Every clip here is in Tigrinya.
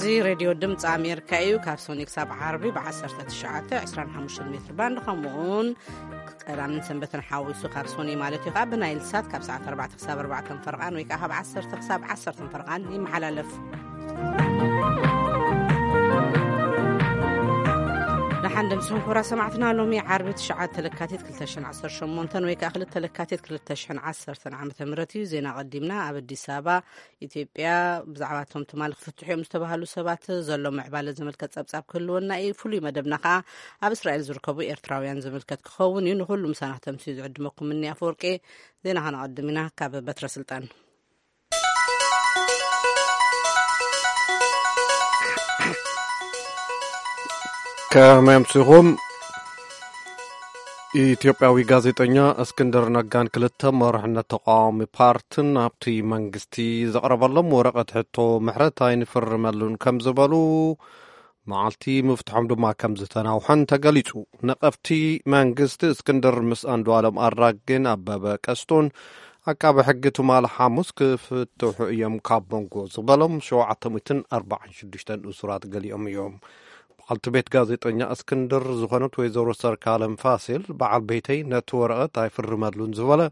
እዚ ሬድዮ ድምፂ ኣሜሪካ እዩ። ካብ ሶኒ ክሳብ ዓርቢ ብ19፣ 25 ሜትር ባንድ፣ ከምኡውን ቀዳምን ሰንበትን ሓዊሱ፣ ካብ ሶኒ ማለት እዩ፣ ከዓ ብናይል ሳት ካብ ሰዓት ኣርባዕተ ክሳብ ኣርባዕተ ፈርቓን ወይ ከዓ ካብ ዓሰርተ ክሳብ ዓሰርተ ፈርቓን ይመሓላለፍ። ንሓንደ ምስኹም ክቡራት ሰማዕትና፣ ሎሚ ዓርቢ ትሽዓተ ለካቲት ክልተ ሽሕን ዓሰርተ ሸሞንተን ወይ ከዓ ክልተ ለካቲት ክልተ ሽሕን ዓሰርተን ዓመተ ምህረት እዩ። ዜና ቀዲምና። ኣብ ኣዲስ ኣበባ ኢትዮጵያ፣ ብዛዕባ እቶም ትማሊ ክፍትሑ እዮም ዝተባህሉ ሰባት ዘሎ ምዕባለ ዝምልከት ጸብጻብ ክህልወና እዩ። ፍሉይ መደብና ከኣ ኣብ እስራኤል ዝርከቡ ኤርትራውያን ዝምልከት ክኸውን እዩ። ንኹሉ ምሳና ክተምስዩ ዝዕድመኩም እኒ ኣፈወርቂ። ዜና ከነቐድም ኢና። ካብ በትረ ስልጣን። ከመይ ኣምሲኹም? ኢትዮጵያዊ ጋዜጠኛ እስክንድር ነጋን ክልተ መራሕነት ተቃዋሚ ፓርትን ኣብቲ መንግስቲ ዘቕረበሎም ወረቐት ሕቶ ምሕረት ኣይንፍርመሉን ከም ዝበሉ፣ መዓልቲ ምፍትሖም ድማ ከም ዝተናውሐን ተገሊጹ። ነቐፍቲ መንግስቲ እስክንድር ምስ ኣንዱዓለም ኣራጌን ኣበበ ቀስቶን ኣቃቢ ሕጊ ትማሊ ሓሙስ ክፍትሑ እዮም ካብ መንጎ ዝበሎም ሸውዓተ ሚእትን ኣርባዓን ሽዱሽተን እሱራት ገሊኦም እዮም። በዓልቲ ቤት ጋዜጠኛ እስክንድር ዝኾነት ወይዘሮ ሰርካለም ፋሲል፣ በዓል ቤተይ ነቲ ወረቐት ኣይፍርመሉን ዝበለ፣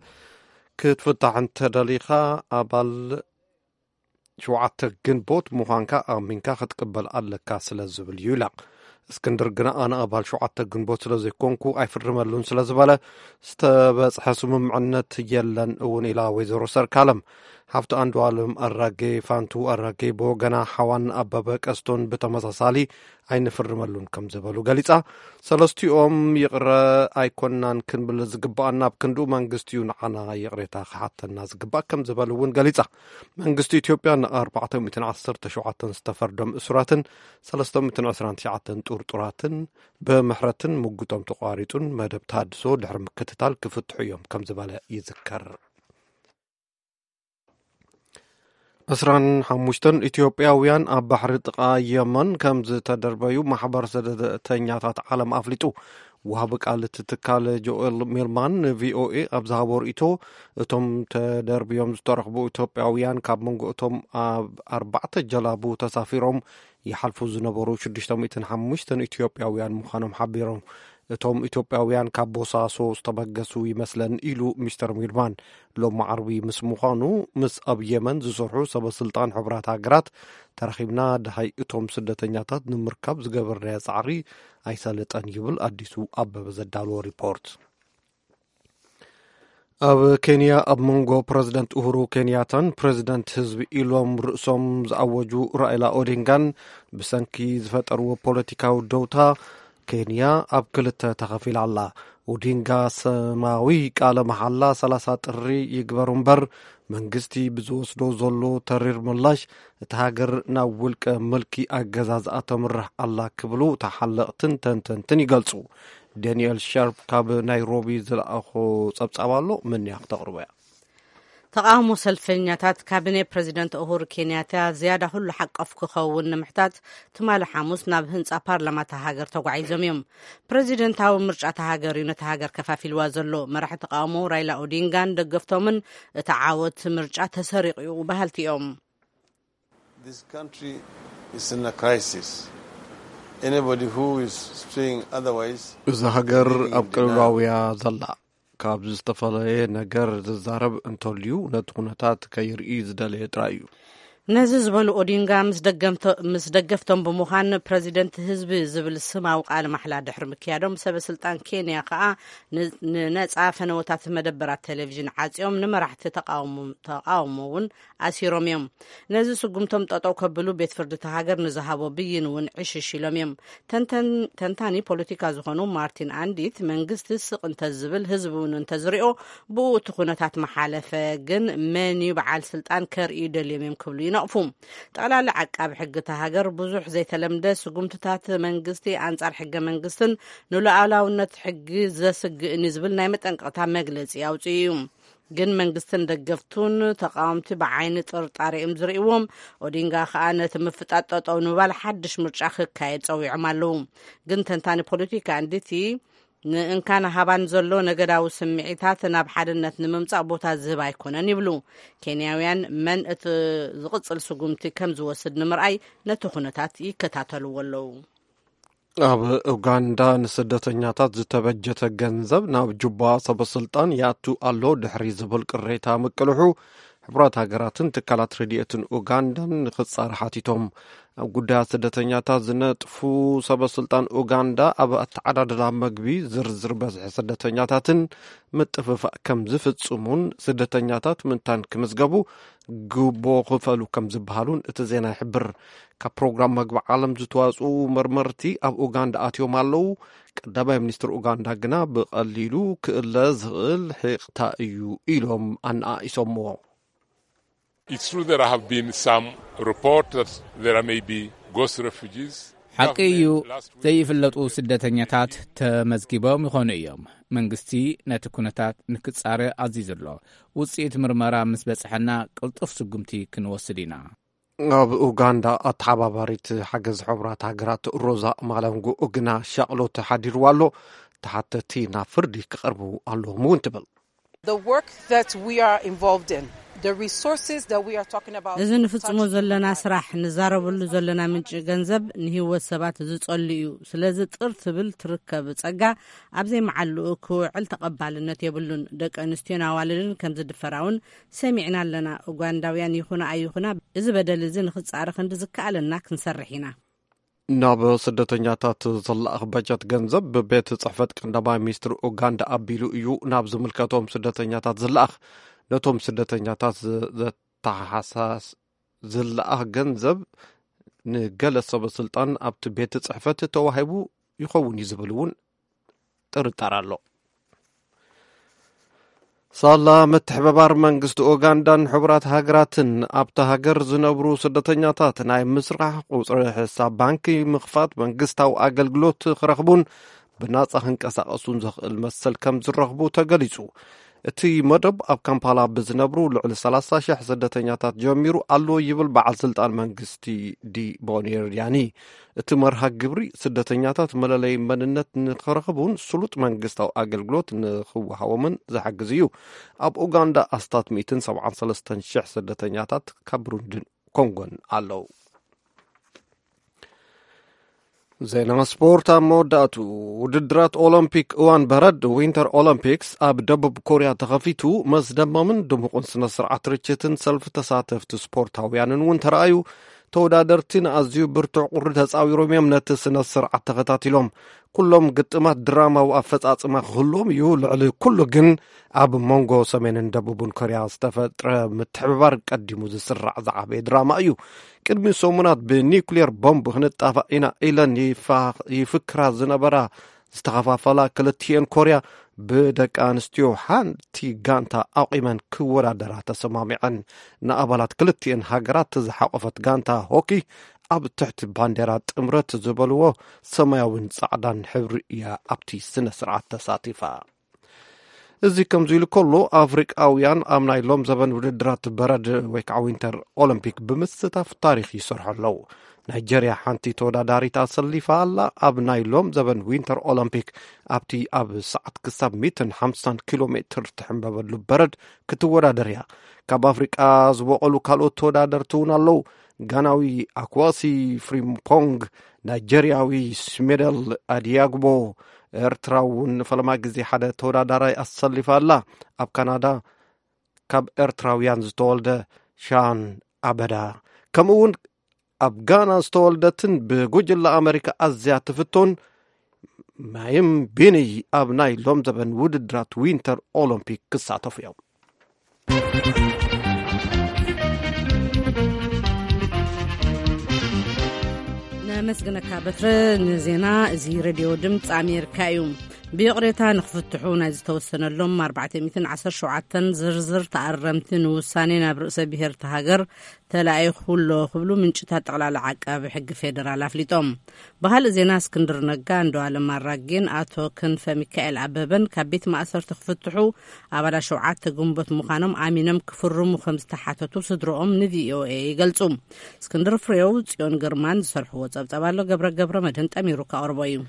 ክትፍታሕ እንተደሊኻ ኣባል ሸውዓተ ግንቦት ምዃንካ ኣሚንካ ክትቅበል ኣለካ ስለ ዝብል እዩ ኢላ። እስክንድር ግና ኣነ ኣባል ሸውዓተ ግንቦት ስለ ዘይኮንኩ ኣይፍርመሉን ስለ ዝበለ ዝተበጽሐ ስምምዕነት የለን እውን ኢላ ወይዘሮ ሰርካለም። ሓፍቲ ኣንዱዓለም ኣራጌ ፋንቱ ኣራጌ ብወገና ሓዋን ኣበበ ቀስቶን ብተመሳሳሊ ኣይንፍርመሉን ከም ዝበሉ ገሊጻ። ሰለስቲኦም ይቕረ ኣይኮናን ክንብል ዝግባኣና፣ ኣብ ክንድኡ መንግስቲ እዩ ንዓና ይቕሬታ ክሓተና ዝግባእ ከም ዝበሉ እውን ገሊጻ። መንግስቲ ኢትዮጵያ ን ኣርባዕተ ሚእትን ዓሰርተ ሸውዓተን ዝተፈርዶም እሱራትን ሰለስተ ሚእትን ዕስራን ትሽዓተን ጥርጡራትን ብምሕረትን ምጉቶም ተቋሪጹን መደብ ተሃድሶ ድሕሪ ምክትታል ክፍትሑ እዮም ከም ዝበለ ይዝከር። ዕስራን ሓሙሽተን ኢትዮጵያውያን ኣብ ባሕሪ ጥቓ የመን ከም ዝተደርበዩ ማሕበር ስደተኛታት ዓለም ኣፍሊጡ። ወሃቢ ቃል እቲ ትካል ጆኤል ሚልማን ንቪኦኤ ኣብ ዝሃቦ ርእይቶ፣ እቶም ተደርብዮም ዝተረኽቡ ኢትዮጵያውያን ካብ መንጎ እቶም ኣብ ኣርባዕተ ጀላቡ ተሳፊሮም ይሓልፉ ዝነበሩ ሽዱሽተ ሚእትን ሓሙሽተን ኢትዮጵያውያን ምዃኖም ሓቢሮም። እቶም ኢትዮጵያውያን ካብ ቦሳሶ ዝተበገሱ ይመስለን ኢሉ ሚስተር ሚልማን። ሎሚ ዓርቢ ምስ ምዃኑ ምስ ኣብ የመን ዝሰርሑ ሰበ ስልጣን ሕቡራት ሃገራት ተራኺብና፣ ደሃይ እቶም ስደተኛታት ንምርካብ ዝገበርናዮ ጻዕሪ ኣይሰለጠን ይብል ኣዲሱ ኣበበ ዘዳለዎ ሪፖርት። ኣብ ኬንያ ኣብ መንጎ ፕረዚደንት ኡሁሩ ኬንያታን ፕረዚደንት ህዝቢ ኢሎም ርእሶም ዝኣወጁ ራኢላ ኦዲንጋን ብሰንኪ ዝፈጠርዎ ፖለቲካዊ ደውታ ኬንያ ኣብ ክልተ ተኸፊላ ኣላ። ኦዲንጋ ስማዊ ቃለ መሓላ ሰላሳ ጥሪ ይግበር እምበር መንግስቲ ብዝወስዶ ዘሎ ተሪር ምላሽ እታ ሃገር ናብ ውልቀ ምልኪ ኣገዛዝኣ ተምርሕ ኣላ ክብሉ ተሓለቕትን ተንተንትን ይገልጹ። ዳንኤል ሻርፕ ካብ ናይሮቢ ዝለኣኾ ጸብጻብ ኣሎ፣ ምንያ ክተቕርቦ እያ። ተቓውሞ ሰልፈኛታት ካቢኔ ፕረዚደንት ኡሁሩ ኬንያታ ዝያዳ ኩሉ ሓቀፍ ክኸውን ንምሕታት ትማሊ ሓሙስ ናብ ህንጻ ፓርላማ እታ ሃገር ተጓዒዞም እዮም። ፕረዚደንታዊ ምርጫ እታ ሃገር እዩ ነታ ሃገር ከፋፊልዋ ዘሎ። መራሒ ተቓውሞ ራይላ ኦዲንጋን ደገፍቶምን እቲ ዓወት ምርጫ ተሰሪቑ እዩ በሃልቲ እዮም። This country is in a crisis. Anybody who is saying otherwise እዛ ሃገር ኣብ ቅልውላውያ ዘላ፣ ካብ ዝተፈለየ ነገር ዝዛረብ እንተልዩ ነቲ ኩነታት ከይርኢ ዝደለየ ጥራይ እዩ። ነዚ ዝበሉ ኦዲንጋ ምስ ደገምቶ-፣ ምስ ደገፍቶም ብምዃን ፕረዚደንት ህዝቢ ዝብል ስማዊ ቃለ ማሕላ ድሕሪ ምክያዶም፣ ሰበ ስልጣን ኬንያ ከኣ ን-፣ ንነጻ ፈነወታት መደበራት ቴሌቪዥን ዓጽዮም ንመራሕቲ ተቃውሞ-፣ ተቃውሞ እውን ኣሲሮም እዮም። ነዚ ስጉምቶም ጠጠው ከብሉ ቤት ፍርዲ እታ ሃገር ንዝሃቦ ብይን እውን ዕሽሽ ኢሎም እዮም። ተንተን-፣ ተንታኒ ፖለቲካ ዝኾኑ ማርቲን ኣንዲት፣ መንግስቲ ስቕ እንተዝብል ህዝቢ እውን እንተዝሪኦ ብኡ እቲ ኩነታት መሓለፈ፣ ግን መን እዩ በዓል ስልጣን ከርእዩ ደልዮም እዮም ክብሉ ይነቕፉ። ጠቕላሊ ዓቃቢ ሕጊ እታ ሃገር ብዙሕ ዘይተለምደ ስጉምትታት መንግስቲ ኣንጻር ሕገ መንግስትን ንሉዓላውነት ሕጊ ዘስግእን እዩ ዝብል ናይ መጠንቀቕታ መግለጺ ኣውጺኡ እዩ። ግን መንግስትን ደገፍቱን ተቃወምቲ ብዓይኒ ጥርጣሬ እዮም ዝርእይዎም። ኦዲንጋ ከኣ ነቲ ምፍጣጥ ጠጠው ንምባል ሓድሽ ምርጫ ክካየድ ጸዊዖም ኣለዉ። ግን ተንታኒ ፖለቲካ ኣንዲቲ ንእንካን ሃባን ዘሎ ነገዳዊ ስምዒታት ናብ ሓድነት ንምምጻእ ቦታ ዝህብ ኣይኮነን ይብሉ። ኬንያውያን መን እቲ ዝቕጽል ስጉምቲ ከም ዝወስድ ንምርኣይ ነቲ ኩነታት ይከታተልዎ ኣለዉ። ኣብ ኡጋንዳ ንስደተኛታት ዝተበጀተ ገንዘብ ናብ ጁባ ሰበስልጣን ይኣቱ ኣሎ ድሕሪ ዝብል ቅሬታ ምቅልሑ፣ ሕቡራት ሃገራትን ትካላት ረድኤትን ኡጋንዳን ንክጻረ ሓቲቶም። ኣብ ጉዳያት ስደተኛታት ዝነጥፉ ሰበስልጣን ኡጋንዳ፣ ኣብ ኣተዓዳድላ መግቢ ዝርዝር በዝሒ ስደተኛታትን ምጥፍፋእ ከም ዝፍጽሙን ስደተኛታት ምንታን ክምዝገቡ ግቦ ክፈሉ ከም ዝበሃሉን እቲ ዜና ይሕብር። ካብ ፕሮግራም መግቢ ዓለም ዝተዋጽኡ መርመርቲ ኣብ ኡጋንዳ ኣትዮም ኣለዉ። ቀዳማይ ሚኒስትር ኡጋንዳ ግና ብቐሊሉ ክእለ ዝኽእል ሒቕታ እዩ ኢሎም ኣነኣኢሶምዎ። It's true there have been some reports that there may be ghost refugees. ሓቂ እዩ፣ ዘይፍለጡ ስደተኛታት ተመዝጊቦም ይኾኑ እዮም። መንግስቲ ነቲ ኩነታት ንክጻረ ኣዚዙ ኣሎ። ውጽኢት ምርመራ ምስ በጽሐና ቅልጡፍ ስጉምቲ ክንወስድ ኢና። ኣብ ኡጋንዳ ኣተሓባባሪት ሓገዝ ሕቡራት ሃገራት ሮዛ ማላንጉ ግና ሻቕሎት ሓዲርዋ ኣሎ። ተሓተቲ ናብ ፍርዲ ክቐርቡ ኣለዎም እውን ትብል። The work that we are involved in, the resources that we are talking about, እዚ ንፍጽሞ ዘለና ስራሕ፣ ንዛረበሉ ዘለና ምንጪ ገንዘብ ንህይወት ሰባት ዝጸሉ እዩ። ስለዚ ጥር ትብል ትርከብ ጸጋ ኣብ ዘይመዓልኡ ክውዕል ተቐባልነት የብሉን። ደቂ ኣንስትዮን ኣዋልድን ከም ዝድፈራ እውን ሰሚዕና ኣለና። ኡጋንዳውያን ይኹና ኣይኹና፣ እዚ በደል እዚ ንክጻረ ክንዲ ዝከኣለና ክንሰርሕ ኢና። ናብ ስደተኛታት ዝለኣኽ በጀት ገንዘብ ብቤት ጽሕፈት ቀንዳማይ ሚኒስትር ኡጋንዳ ኣቢሉ እዩ ናብ ዝምልከቶም ስደተኛታት ዝለኣኽ። ነቶም ስደተኛታት ዝ- ዘተሓሳስ ዝለኣኽ ገንዘብ ንገለ ሰበ ስልጣን ኣብቲ ቤት ጽሕፈት ተዋሂቡ ይኸውን እዩ ዝብል እውን ጥርጣር ኣሎ። ሳላ ምትሕብባር መንግስቲ ኡጋንዳን ሕቡራት ሃገራትን ኣብታ ሃገር ዝነብሩ ስደተኛታት ናይ ምስራሕ ቁጽሪ ሕሳብ ባንኪ ምኽፋት መንግስታዊ ኣገልግሎት ክረኽቡን ብናጻ ክንቀሳቐሱን ዘኽእል መሰል ከም ዝረኽቡ ተገሊጹ። እቲ መደብ ኣብ ካምፓላ ብዝነብሩ ልዕሊ ሰላሳ ሽሕ ስደተኛታት ጀሚሩ ኣሎ ይብል በዓል ስልጣን መንግስቲ ዲ ቦኔርያኒ። እቲ መርሃ ግብሪ ስደተኛታት መለለይ መንነት ንክረኽቡን ስሉጥ መንግስታዊ ኣገልግሎት ንክወሃቦምን ዝሓግዝ እዩ። ኣብ ኡጋንዳ ኣስታት ሚእትን ሰብዓን ሰለስተን ሽሕ ስደተኛታት ካብ ብሩንድን ኮንጎን ኣለዉ። ዜና ስፖርት ኣብ መወዳእቱ። ውድድራት ኦሎምፒክ እዋን በረድ ዊንተር ኦሎምፒክስ ኣብ ደቡብ ኮርያ ተኸፊቱ፣ መስደመምን ድሙቕን ስነ ስርዓት ርችትን ሰልፊ ተሳተፍቲ ስፖርታውያንን እውን ተረኣዩ። ተወዳደርቲ ንኣዝዩ ብርቱዕ ቁሪ ተጻዊሮም እዮም ነቲ ስነ ስርዓት ተኸታቲሎም። ኩሎም ግጥማት ድራማዊ ኣፈጻጽማ ክህልዎም እዩ። ልዕሊ ኩሉ ግን ኣብ መንጎ ሰሜንን ደቡብን ኮርያ ዝተፈጥረ ምትሕብባር ቀዲሙ ዝስራዕ ዝዓበየ ድራማ እዩ። ቅድሚ ሰሙናት ብኒኩሌር ቦምብ ክንጣፋእ ኢና ኢለን ይፋ- ይፍክራ ዝነበራ ዝተኸፋፈላ ክልቲኤን ኮርያ ብደቂ ኣንስትዮ ሓንቲ ጋንታ ኣቑመን ክወዳደራ ተሰማሚዐን። ንኣባላት ክልቲኤን ሃገራት ዝሓቆፈት ጋንታ ሆኪ ኣብ ትሕቲ ባንዴራ ጥምረት ዝበልዎ ሰማያዊን ጻዕዳን ሕብሪ እያ ኣብቲ ስነ ስርዓት ተሳቲፋ። እዚ ከምዚ ኢሉ ከሎ ኣፍሪቃውያን ኣብ ናይ ሎም ዘበን ውድድራት በረድ ወይ ከዓ ዊንተር ኦሎምፒክ ብምስታፍ ታሪኽ ይሰርሑ ኣለዉ። ናይጀርያ ሓንቲ ተወዳዳሪት ኣሰሊፋ ኣላ። ኣብ ናይ ሎም ዘበን ዊንተር ኦሎምፒክ ኣብቲ ኣብ ሰዓት ክሳብ ሚእትን ሓምሳን ኪሎ ሜትር ትሕንበበሉ በረድ ክትወዳደር እያ። ካብ ኣፍሪቃ ዝበቐሉ ካልኦት ተወዳደርቲ እውን ኣለዉ። ጋናዊ ኣክዋሲ ፍሪምፖንግ፣ ናይጀርያዊ ስሜደል ኣዲያግቦ፣ ኤርትራ እውን ንፈለማ ግዜ ሓደ ተወዳዳራይ ኣሰሊፋ ኣላ። ኣብ ካናዳ ካብ ኤርትራውያን ዝተወልደ ሻን ኣበዳ፣ ከምኡ እውን ኣብ ጋና ዝተወልደትን ብጉጅለ ኣመሪካ ኣዝያ ትፍቶን ማይም ቢኒ ኣብ ናይ ሎም ዘበን ውድድራት ዊንተር ኦሎምፒክ ክሳተፉ እዮም። ነመስግነካ በትረ ንዜና። እዚ ሬድዮ ድምፂ ኣሜሪካ እዩ። ብይቕሬታ ንክፍትሑ ናይ ዝተወሰነሎም ኣርባዕተ ሚእትን ዓሰርተ ሸውዓተን ዝርዝር ተኣረምቲ ንውሳኔ ናብ ርእሰ ብሔር እታ ሃገር ተላኢኹ ኣሎ ክብሉ ምንጭታት ጠቕላላ ዓቃቢ ሕጊ ፌዴራል ኣፍሊጦም። ብኻልእ ዜና፣ እስክንድር ነጋ፣ እንዶ ኣለም ኣራጌን ኣቶ ክንፈ ሚካኤል ኣበበን ካብ ቤት ማእሰርቲ ክፍትሑ ኣባላት ሸውዓተ ግንቦት ምዃኖም ኣሚኖም ክፍርሙ ከም ዝተሓተቱ ስድሮኦም ንቪኦኤ ይገልጹ። እስክንድር ፍሬው፣ ጽዮን ግርማን ዝሰርሕዎ ጸብጸብ ኣሎ። ገብረ ገብረ መድህን ጠሚሩ ከቕርቦ እዩ።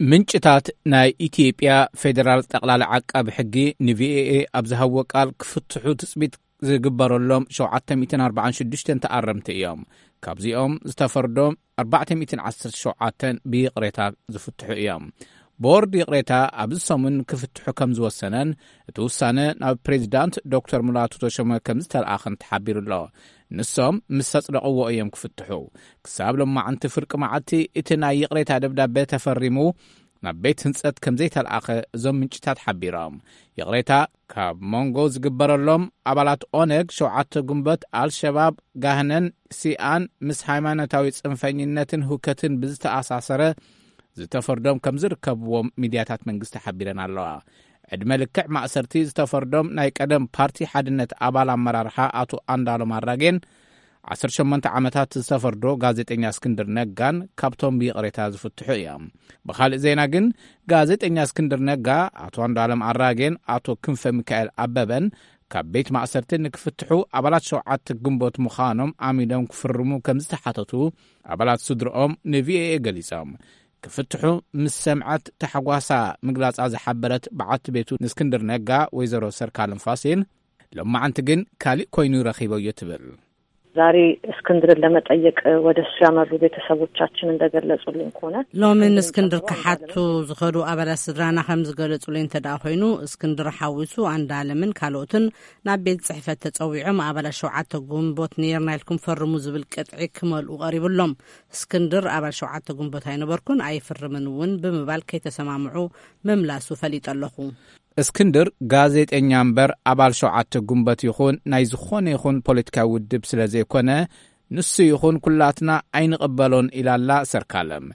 ምንጭታት ናይ ኢትዮጵያ ፌዴራል ጠቕላላ ዓቃቢ ሕጊ ንቪኦኤ ኣብ ዝሃብዎ ቃል፣ ክፍትሑ ትጽቢት ዝግበረሎም ሸውዓተ ሚእትን ኣርባዓን ሽዱሽተን ተኣረምቲ እዮም። ካብዚኦም ዝተፈርዶም ኣርባዕተ ሚእትን ዓሰርተ ሸውዓተን ብይቕሬታ ዝፍትሑ እዮም። ቦርድ ይቕሬታ ኣብዚ ሰሙን ክፍትሑ ከም ዝወሰነን፣ እቲ ውሳነ ናብ ፕሬዚዳንት ዶክተር ሙላቱ ተሾመ ከም ዝተለኣኸን ተሓቢሩ ኣሎ። ንሶም ምስ ኣጽደቕዎ እዮም ክፍትሑ። ክሳብ ሎማዕንቲ ፍርቂ መዓልቲ እቲ ናይ ይቕሬታ ደብዳቤ ተፈሪሙ ናብ ቤት ህንጸት ከም ዘይተለኣኸ እዞም ምንጭታት ሓቢሮም። ይቕሬታ ካብ መንጎ ዝግበረሎም ኣባላት ኦነግ፣ ሸውዓተ ጉንበት፣ ኣልሸባብ፣ ጋህነን፣ ሲኣን ምስ ሃይማኖታዊ ጽንፈኝነትን ህውከትን ብዝተኣሳሰረ ዝተፈርዶም ከም ዝርከብዎም ሚድያታት መንግስቲ ሓቢረን ኣለዋ። ዕድመ ልክዕ ማእሰርቲ ዝተፈርዶም ናይ ቀደም ፓርቲ ሓድነት ኣባል ኣመራርሓ ኣቶ ኣንዳሎም ኣራጌን ዓሰርተ ሸሞንተ ዓመታት ዝተፈርዶ ጋዜጠኛ እስክንድር ነጋን ካብቶም ብይቕሬታ ዝፍትሑ እዮም። ብኻልእ ዜና ግን፣ ጋዜጠኛ እስክንድር ነጋ፣ ኣቶ ኣንዳሎም ኣራጌን ኣቶ ክንፈ ሚካኤል ኣበበን ካብ ቤት ማእሰርቲ ንክፍትሑ ኣባላት ሸውዓተ ግንቦት ምዃኖም ኣሚኖም ክፍርሙ ከም ዝተሓተቱ ኣባላት ስድርኦም ንቪኦኤ ገሊጾም። ክፍትሑ ምስ ሰምዐት ታሕጓሳ ምግላጻ ዝሓበረት በዓልቲ ቤቱ ንእስክንድር ነጋ፣ ወይዘሮ ሰርካለም ፋሲል፣ ሎማዓንቲ ግን ካልእ ኮይኑ ረኺበዮ ትብል። ዛሬ እስክንድርን ለመጠየቅ ወደ እሱ ያመሩ ቤተሰቦቻችን እንደገለጹልን ከሆነ፣ ሎሚ ንእስክንድር ክሓቱ ዝኸዱ ኣባላት ስድራና ከም ዝገለጹለይ እንተ ደኣ ኮይኑ፣ እስክንድር ሓዊሱ ኣንዳለምን ካልኦትን ናብ ቤት ጽሕፈት ተጸዊዖም፣ ኣባላት ሸውዓተ ግንቦት ነይርና ኢልኩም ፈርሙ ዝብል ቅጥዒ ክመልኡ ቀሪቡሎም። እስክንድር ኣባል ሸውዓተ ግንቦት ኣይነበርኩን፣ ኣይፍርምን እውን ብምባል ከይተሰማምዑ ምምላሱ ፈሊጠ ኣለኹ። እስክንድር ጋዜጠኛ እምበር ኣባል ሸውዓተ ግንቦት ይኹን ናይ ዝኾነ ይኹን ፖለቲካዊ ውድብ ስለ ዘይኮነ፣ ንሱ ይኹን ኩላትና ኣይንቕበሎን ኢላላ ሰርካለም።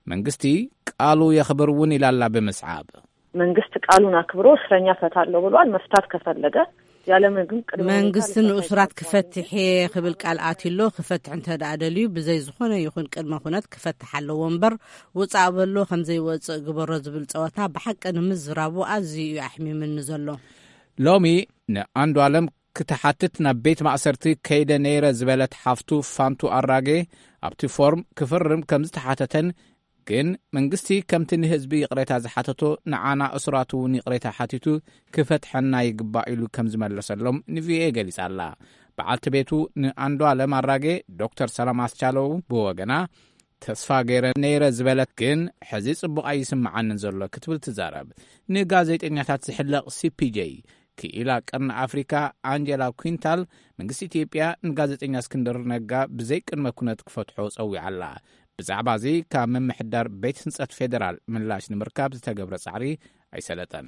መንግስቲ ቃሉ የኽብር እውን ኢላላ ብምስዓብ። መንግስት ቃሉን አክብሮ እስረኛ ፈታለሁ ብሏል። መፍታት ከፈለገ ያለምንም ቅድመ ሁኔታ መንግስቲ ሊፈታ ንእሱራት ይገባል። ክፈትሕ እየ ክብል ቃል ኣትሎ። ክፈትሕ እንተ ደኣ ደልዩ፣ ብዘይ ዝኾነ ይኹን ቅድመ ኩነት ክፈትሕ ኣለዎ እምበር፣ ውጻእ በሎ ከም ዘይወጽእ ግበሮ ዝብል ጸወታ ብሓቂ ንምዝራቡ ኣዝዩ እዩ ኣሕሚምኒ ዘሎ። ሎሚ ንኣንዱ ኣለም ክትሓትት ናብ ቤት ማእሰርቲ ከይደ ነይረ ዝበለት ሓፍቱ ፋንቱ ኣራጌ፣ ኣብቲ ፎርም ክፍርም ከም ዝተሓተተን፣ ግን መንግስቲ ከምቲ ንህዝቢ ይቕሬታ ዝሓተቶ ንዓና እሱራት እውን ይቕሬታ ሓቲቱ ክፈትሐና ይግባእ ኢሉ ከም ዝመለሰሎም ንቪኦኤ ገሊጻ ኣላ። በዓልቲ ቤቱ ንኣንዱ ኣለም ኣራጌ ዶክተር ሰላም ኣስቻለው ብወገና፣ ተስፋ ገይረ ነይረ ዝበለት፣ ግን ሕዚ ጽቡቕ ኣይስምዓንን ዘሎ ክትብል ትዛረብ። ንጋዜጠኛታት ዝሕለቕ ሲፒጄ ክኢላ ቀርኒ ኣፍሪካ ኣንጀላ ኩንታል፣ መንግስቲ ኢትዮጵያ ንጋዜጠኛ እስክንድር ነጋ ብዘይ ቅድመ ኩነት ክፈትሖ ጸዊዓ ኣላ። ብዛዕባ እዚ ካብ ምምሕዳር ቤት ህንጸት ፌደራል ምላሽ ንምርካብ ዝተገብረ ጻዕሪ ኣይሰለጠን።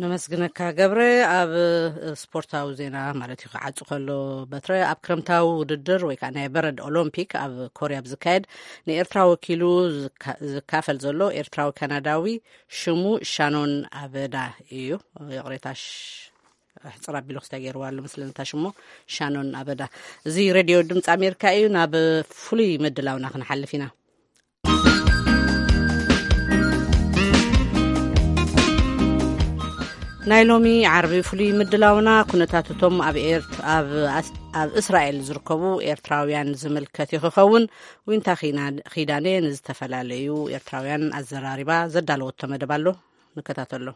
ነመስግነካ ገብረ። ኣብ ስፖርታዊ ዜና ማለት እዩ፣ ክዓጹ ከሎ በትረ፣ ኣብ ክረምታዊ ውድድር ወይ ከዓ ናይ በረድ ኦሎምፒክ ኣብ ኮርያ ብዝካየድ ንኤርትራ ወኪሉ ዝካ-፣ ዝካፈል ዘሎ ኤርትራዊ ካናዳዊ ሽሙ ሻኖን ኣበዳ እዩ። ይቕሬታ፣ ሽ-፣ ሕጽር ኣቢሉ ክስታይ ገይርዋ ኣሎ መስለኒ እታ ሽሞ፣ ሻኖን ኣበዳ። እዚ ሬድዮ ድምፂ ኣሜሪካ እዩ። ናብ ፍሉይ ምድላውና ክንሓልፍ ኢና። ናይ ሎሚ ዓርቢ ፍሉይ ምድላውና ኩነታት እቶም ኣብ ኤርት-፣ ኣብ ኣስ-፣ ኣብ እስራኤል ዝርከቡ ኤርትራውያን ዝምልከት እዩ ክኸውን። ዊንታ ኺና-፣ ኺዳነ ንዝተፈላለዩ ኤርትራውያን ኣዘራሪባ ዘዳለወቶ መደብ ኣሎ፣ ንከታተሎ።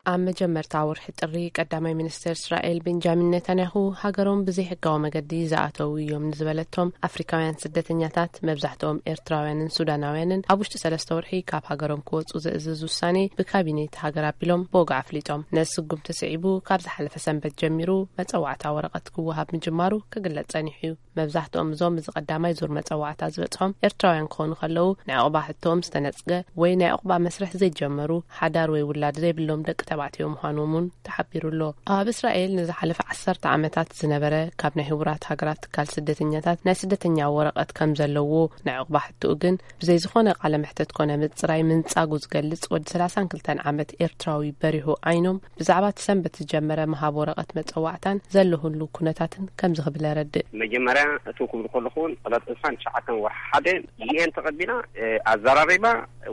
ኣብ መጀመርታ ወርሒ ጥሪ፣ ቀዳማይ ሚኒስትር እስራኤል ቤንጃሚን ኔታንያሁ፣ ሃገሮም ብዘይሕጋዊ መገዲ ዝኣተዉ እዮም ንዝበለቶም ኣፍሪካውያን ስደተኛታት፣ መብዛሕትኦም ኤርትራውያንን ሱዳናውያንን፣ ኣብ ውሽጢ ሰለስተ ወርሒ ካብ ሃገሮም ክወጹ ዘእዝዝ ውሳኔ ብካቢኔት ሃገር ኣቢሎም ብወግዒ ኣፍሊጦም። ነዚ ስጉምቲ ስዒቡ፣ ካብ ዝሓለፈ ሰንበት ጀሚሩ መጸዋዕታ ወረቐት ክወሃብ ምጅማሩ ክግለጽ ጸኒሑ እዩ። መብዛሕትኦም እዞም እዚ ቀዳማይ ዙር መጸዋዕታ ዝበጽሖም ኤርትራውያን ክኾኑ ከለዉ፣ ናይ ዑቕባ ሕቶኦም ዝተነጽገ ወይ ናይ ዑቕባ መስርሕ ዘይጀመሩ፣ ሓዳር ወይ ውላድ ዘይብሎም ደቂ ተባዕትዮ ምዃኖም እውን ተሓቢሩ ኣሎ። ኣብ እስራኤል ንዝሓለፈ ዓሰርተ ዓመታት ዝነበረ፣ ካብ ናይ ህቡራት ሃገራት ትካል ስደተኛታት ናይ ስደተኛ ወረቐት ከም ዘለዎ፣ ናይ ዑቕባ ሕቶኡ ግን ብዘይ ዝኾነ ቃለ መሕተት ኮነ ምጽራይ ምንጻጉ ዝገልጽ ወዲ ሰላሳን ክልተን ዓመት ኤርትራዊ በሪሁ ዓይኖም፣ ብዛዕባ እቲ ሰንበት ዝጀመረ ምሃብ ወረቐት መጸዋዕታን ዘለሁሉ ኩነታትን ከምዚ ክብል የረድእ። መጀመርያ እትው ክብል ከለኹ እውን ዕለት ዕስራን ትሽዓተን ወርሒ ሓደ ዩ ኤን ተቐቢላ፣ እ፣ ኣዘራሪባ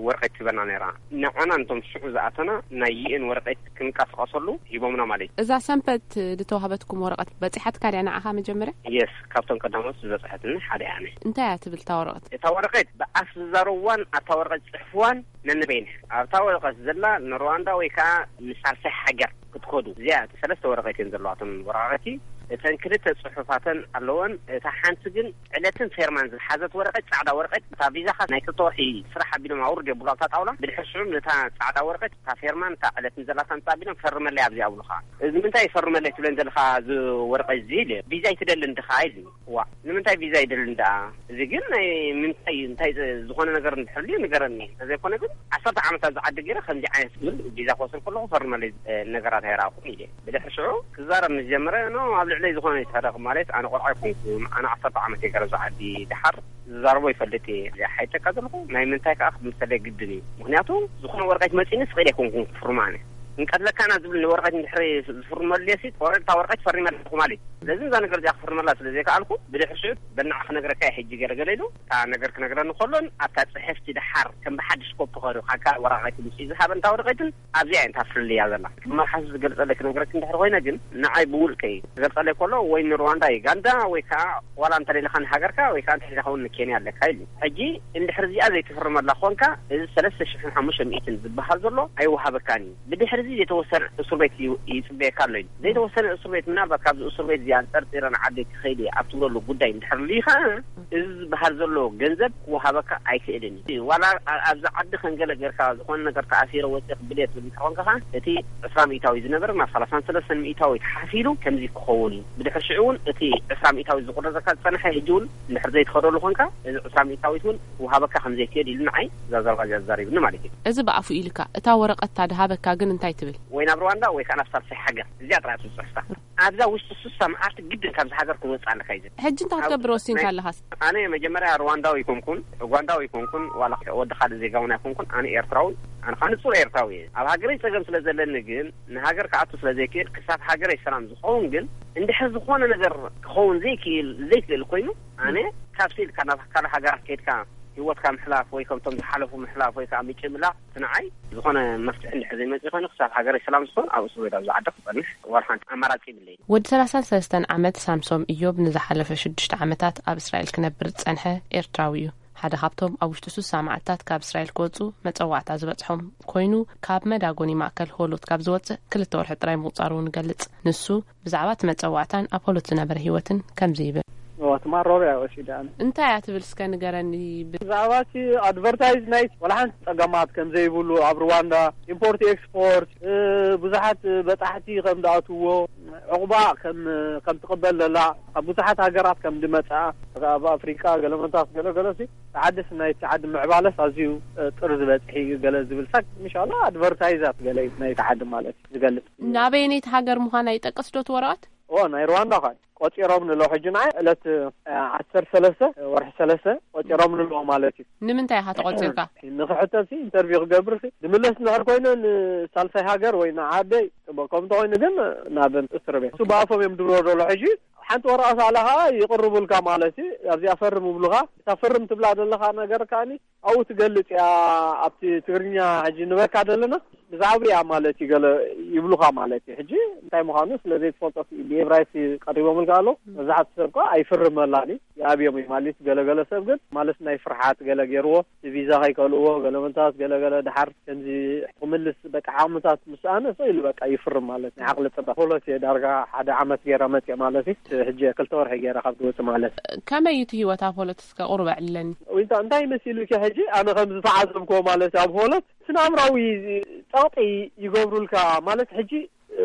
ወረቐት ትበና ነይራ። ንዓና ነቶም ሽዑ ዝኣተና ናይ ዩ ኤን ወረቐት ክንቀሳቐሰሉ ሂቦምና ማለት እዩ። እዛ ሰንበት ዝተዋህበትኩም ወረቐት በጺሓትካ ድያ ንዓኻ መጀመርያ? የስ፣ ካብቶም ቀዳሞት ዝበጽሐትኒ ሓደ እያ። እንታይ እያ ትብል እታ ወረቐት? እታ ወረቐት ብኣፍ ዝዛረብዋን ኣብታ ወረቐት ዝጽሕፍዋን ነንበይን ኣብታ ወረቐት ዘላ ንሩዋንዳ ወይ ከዓ ንሳልሳይ ሃገር ክትከዱ እዚኣ ሰለስተ ወረቐት እየን ዘለዋቶም ወረቐቲ። እተን ክልተ ጽሑፋተን ኣለወን። እታ ሓንቲ ግን ዕለትን ፌርማን ዝሓዘት ወረቐት፣ ጻዕዳ ወረቐት፣ እታ ቪዛኻ ናይ ክልተ ወርሒ ስራሕ ኣቢሎም ኣውርድ የብሉ ኣብታ ጣውላ። ብድሕር ሽዑ ነታ ጻዕዳ ወረቐት፣ እታ ፌርማን እታ ዕለትን ዘላታ ምጻ ኣቢሎም ፈርመለይ ኣብዚ ኣብሉኻ። እዚ ምንታይ ፈርመለይ ትብለን ዘለኻ እዚ ወረቐት እዚ ኢለ ቪዛ ይትደልን ድኻ ኢሉ። ዋ ንምንታይ ቪዛ ይደልን ደኣ? እዚ ግን ናይ ምንታይ እንታይ ዝኾነ ነገር እንድሕልዩ ንገረኒ። እንተዘይኮነ ግን ዓሰርተ ዓመት ኣብዚ ዓዲ ገይረ ከምዚ ዓይነት ዝብል ቪዛ ክወስድ ከለኹ ፈርመለይ ነገራት ኣይረኣኹን ኢለ። ብድሕሪ ሽዑ ክዛረብ ምስ ጀመረ ኖ ኣብ ልዕለይ ዝኾነ ይትሕደኽ ማለት ኣነ ቆልዓ ኣይኮንኩን ኣነ ዓሰርተ ዓመት እየ ገረብ ዝዓዲ ድሓር ዝዛረቦ ይፈልጥ እየ ሓይጠካ ዘለኹ ናይ ምንታይ ከዓ ክምሰለ ግድን እዩ ምክንያቱ ዝኾነ ወረቀት መፂኒ ስቕ ኢለ ኣይኮንኩን ክፍርማ ኣነ ክንቀትለካና ዝብል ንወረቀት እንድሕሪ ዝፍርመሉ ሲ ወረቅታ ወረቀት ፈሪመ ኣለኹ ማለት እዩ ስለዚ እዛ ነገር እዚኣ ክፍርመላ ስለ ዘይከኣልኩ ብድሕሪ ሽዑ በናዕ ክነግረካ ሕጂ ገለገለ ኢሉ እታ ነገር ክነግረኒ ከሎን ኣብታ ፅሕፍቲ ድሓር ከም ብሓድሽ ኮፒ ከሪኻካ ወረቀት ምስ ዝሃበ እንታ ወረቀትን ኣብዚኣ እያ እንታ ፍልልያ ዘላ። መርሓስ ዝገልጸለይ ክነግረኪ እንድሕር ኮይነ ግን ንዓይ ብውልቀይ ክገልጸለይ ከሎ ወይ ንሩዋንዳ ዩጋንዳ ወይ ከዓ ዋላ እንተደሊኻ ንሃገርካ ወይ ከዓ እንተደሊኻ እውን ንኬንያ ኣለካ ኢሉ። ሕጂ እንድሕር እዚኣ ዘይትፍርመላ ኮንካ እዚ ሰለስተ ሽሕን ሓሙሽተ ሚእትን ዝበሃል ዘሎ ኣይወሃበካን እዩ። ብድሕር እዚ ዘይተወሰነ እሱር ቤት ይጽበየካ ኣሎ ኢሉ። ዘይተወሰነ እሱር ቤት ምናልባት ካብዚ እሱር ቤት እዚ ኣንጸርጺረ ንዓደይ ክኸይድ እየ ኣብ ትብለሉ ጉዳይ እንድሕር ልዩ ከዓ እዚ ዝበሃል ዘሎ ገንዘብ ክወሃበካ ኣይክእልን እዩ። ዋላ ኣብዚ ዓዲ ከም ገለ ጌርካ ዝኾነ ነገር ተኣሲረ ወፂእ ክብል እየ ትብል እንተኾንካ ከዓ እቲ ዕስራ ሚእታዊ ዝነበረ ናብ ሰላሳን ሰለስተን ሚእታዊ ተሓፊሉ ከምዚ ክኸውን እዩ። ብድሕሪ ሽዑ እውን እቲ ዕስራ ሚእታዊ ዝቁረፀካ ዝፀንሐ ሕጂ እውን እንድሕር ዘይትኸደሉ ኮንካ እዚ ዕስራ ሚእታዊት እውን ክወሃበካ ከም ዘይክእል ኢሉ ንዓይ እዛ ዘረባ እዚኣ ዘዛሪብኒ ማለት እዩ። እዚ ብኣፉ ኢልካ እታ ወረቐት እታ ድሃበካ ግን እንታይ ትብል? ወይ ናብ ሩዋንዳ ወይ ከዓ ናብ ሳልሳይ ሃገር እዚኣ ጥራይ እያ ትፅሕፍካ። ኣብዛ ውሽጢ ሱሳ መዓልቲ ግድን ካብዚ ሃገር ክንወፅእ ኣለካ እዩ ዝብል። ሕጂ እንታይ ክትገብር ወሲንካ ኣለኻስ? ኣነ መጀመርያ ሩዋንዳዊ ኣይኮንኩን፣ ኡጋንዳዊ ኣይኮንኩን፣ ዋላ ወዲ ካልእ ዜጋ እውን ኣይኮንኩን። ኣነ ኤርትራዊ፣ ኣነ ከዓ ንጹር ኤርትራዊ እየ። ኣብ ሃገረይ ጸገም ስለ ዘለኒ ግን ንሃገር ክኣቱ ስለ ዘይክእል ክሳብ ሃገረይ ሰላም ዝኸውን ግን እንድሕር ዝኾነ ነገር ክኸውን ዘይክእል ዘይክእል ኮይኑ ኣነ ካብ ስኢልካ ናብ ካልእ ሃገራት ከይድካ ህይወትካ ምሕላፍ ወይ ከምቶም ዝሓለፉ ምሕላፍ ወይ ከዓ ምጭምላቕ እቲ ንዓይ ዝኾነ መፍትሒ እንድሕር ዘይመፅእ ኮይኑ ክሳብ ሃገረይ ሰላም ዝኸውን ኣብ እስር ቤት ኣብዚ ዓዲ ክፀንሕ ዋላ ሓንቲ ኣማራፂ የብለይን። ወዲ ሰላሳን ሰለስተን ዓመት ሳምሶም እዮብ ንዝሓለፈ ሽዱሽተ ዓመታት ኣብ እስራኤል ክነብር ዝጸንሐ ኤርትራዊ እዩ። ሓደ ካብቶም ኣብ ውሽጢ ሱሳ መዓልታት ካብ እስራኤል ክወጹ መጸዋዕታ ዝበጽሖም ኮይኑ ካብ መዳጎኒ ማእከል ሆሎት ካብ ዝወጽእ ክልተ ወርሒ ጥራይ ምቑጻሩ እውን ይገልጽ። ንሱ ብዛዕባ እቲ መጸዋዕታን ኣብ ሆሎት ዝነበረ ህይወትን ከምዚ ይብል። ትማሮር እያ ወሲዳ። እንታይ እያ ትብል እስከ ንገረኒ። ብዛዕባ እቲ ኣድቨርታይዝ ናይ ዋላ ሓንቲ ጸገማት ከም ዘይብሉ ኣብ ሩዋንዳ ኢምፖርት ኤክስፖርት ብዙሓት በጻሕቲ ከም ዝኣትዎ ዕቑባ ከም ከም ትቕበል ዘላ ካብ ብዙሓት ሃገራት ከም ዝመጽኣ ኣብ ኣፍሪቃ ገለመንታት ገለገለሲ ተዓደስ ናይ ተዓዲ ምዕባለስ ኣዝዩ ጥር ዝበጽሕ እዩ ገለ ዝብል ሳክ ምሻላ ኣድቨርታይዛት ገለ ናይ ተዓዲ ማለት ዝገልጽ። ናበየነይቲ ሃገር ምዃና ይጠቅስ ዶ እቲ ወረቐት? ኦ ናይ ሩዋንዳ ኳ ቆጺሮም ንሎ ሕጂ ንዓይ ዕለት ዓሰርተ ሰለስተ ወርሒ ሰለስተ ቆጺሮም ንሎ ማለት እዩ። ንምንታይ ኢኻ ተቆጺርካ? ንክሕተት ሲ ኢንተርቪው ክገብር ሲ ድምለስ ንድሕር ኮይነ ንሳልሳይ ሃገር ወይ ንዓደይ ጽቡቅ ከም እንተኮይኑ ግን ናብ እስር ቤት እሱ ብኣፎም እዮም ድብሎ ዘሎ ሕጂ ሓንቲ ወረቀት ኣላ ከዓ ይቅርቡልካ ማለት እዩ ኣብዚኣ ፈርም ይብሉካ እታ ፈርም ትብላ ዘለካ ነገር ከዓኒ ኣብኡ ትገልጽ እያ ኣብቲ ትግርኛ ሕጂ ንበካ ዘለና ብዛዕባ እያ ማለት እዩ ገለ ይብሉካ ማለት እዩ ሕጂ እንታይ ምዃኑ ስለ ዘይትፈልጦ ብኤብራይስ ቀሪቦምልካ ኣለዉ መብዛሕትኡ ሰብ ከዓ ኣይፍርመላን እዩ ይኣብዮም እዩ ማለት ገለገለ ሰብ ግን ማለት ናይ ፍርሓት ገለ ገይርዎ እቲ ቪዛ ከይከልእዎ ገለመንታት ገለገለ ድሓር ከምዚ ክምልስ በቃ ዓቕምታት ምስ ኣነሰ ኢሉ በቃ ይፍርም ማለት ናይ ዓቕሊ ፅበት ፖሎት እየ ዳርጋ ሓደ ዓመት ገይረ መፅእ ማለት እዩ ሕጂ ክልተ ወርሒ ገይረ ካብ ዝወፅእ ማለት ከመይ እዩ እቲ ህይወት ኣብ ሆሎት እስከ ቁሩብ ኣዕልለኒ ዊንታ እንታይ መሲሉ ኪ ሕጂ ኣነ ከም ዝተዓዘብክዎ ማለት ኣብ ሆሎት ስነ ኣእምራዊ ፀቕጢ ይገብሩልካ ማለት ሕጂ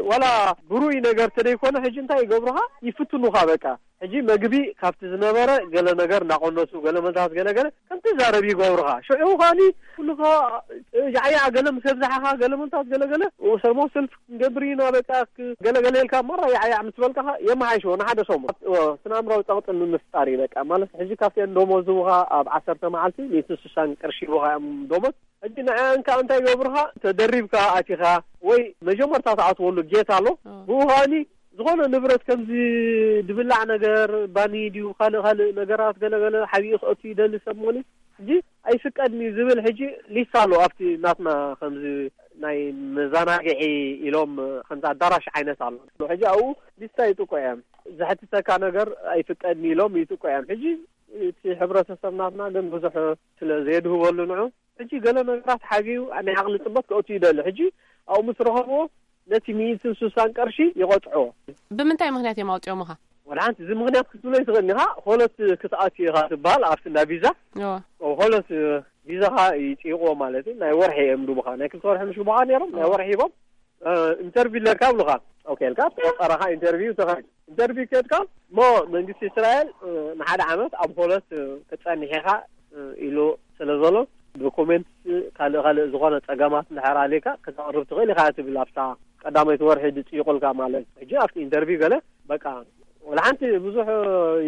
ዋላ ብሩይ ነገር ተደይኮነ ሕጂ እንታይ ይገብሩኻ ይፍትኑኻ በቃ ሕጂ መግቢ ካብቲ ዝነበረ ገለ ነገር እናቆነሱ ገለ መታት ገለ ገለ ከም ትዛረብ ይገብሩኻ ሽዑ ኻኒ ኩሉ ያዕያዕ ገለ ምስ ኣብዛሓኻ ገለ መታት ገለ ገለ ሰለሞ ሰልፍ ክንገብር ኢና በቃ ገለ ገለ ኢልካ ማራ ያዕያዕ ምስ በልካ የመሓይሽዎ ንሓደ ሰሙን ስነ ኣእምራዊ ፀቕጢ ንምፍጣር እዩ በቃ ማለት ሕጂ ካብቲ እንዶሞ ዝቡኻ ኣብ ዓሰርተ መዓልቲ ሚእቲ ስሳን ቅርሺ ይቡኻ እዮም ዶሞት ሕጂ ንዕኣን ከዓ እንታይ ይገብሩኻ ተደሪብካ ኣቲኻ ወይ መጀመርታ ትኣትወሉ ጌት ኣሎ ብኡ ከዓኒ ዝኾነ ንብረት ከምዚ ድብላዕ ነገር ባኒ ድዩ ካልእ ካልእ ነገራት ገለገለ ሓቢኡ ክእቱ ይደሊ ሰብ ሞኒ ሕጂ ኣይፍቀድን እዩ ዝብል ሕጂ ሊስት ኣሎ ኣብቲ ናትና ከምዚ ናይ መዘናግዒ ኢሎም ከምዚ ኣዳራሽ ዓይነት ኣሎ። ሕጂ ኣብኡ ሊስታ ይጥቆ እዮም። ዘሕትተካ ነገር ኣይፍቀድን ኢሎም ይጥቆ እዮም። ሕጂ እቲ ሕብረተሰብ ናትና ግን ብዙሕ ስለ ዘየድህበሉ ንዑ፣ ሕጂ ገለ ነገራት ሓግዩ ናይ ዓቕሊ ጽበት ከእቱ ይደሊ። ሕጂ ኣብኡ ምስ ረኸብዎ ነቲ ሚእትን ስሳን ቅርሺ ይቐጽዕዎ። ብምንታይ ምኽንያት እዮም ኣውፅኦምኻ? ወላ ሓንቲ እዚ ምኽንያት ክትብሎ ይትኽእል ኢኻ። ሆለት ክትኣቱ ኢኻ ትበሃል ኣብቲ እንዳ ቪዛ። ሆለት ቪዛኻ ይፅይቕዎ ማለት እዩ። ናይ ወርሒ እዮም ድቡኻ። ናይ ክልተ ወርሒ ምሽ ግቡኻ ነይሮም፣ ናይ ወርሒ ሂቦም። ኢንተርቪው ኣለካ ብሉኻ። ኦኬ ኢልካ ተቆፀረኻ ኢንተርቪው ተኸድ ኢንተርቪው ከድካ ሞ መንግስቲ እስራኤል ንሓደ ዓመት ኣብ ሆለት ክትፀንሕ ኢኻ ኢሉ ስለ ዘሎ፣ ዶኩሜንት ካልእ ካልእ ዝኾነ ፀገማት እንድሕር ኣለካ ከተቕርብ ትኽእል ኢኻ ትብል ኣብታ ቀዳመይቲ ወርሒ ዝፅይቑልካ ማለት እዩ። ሕጂ ኣብቲ ኢንተርቪው ገለ በቃ ወላ ሓንቲ ብዙሕ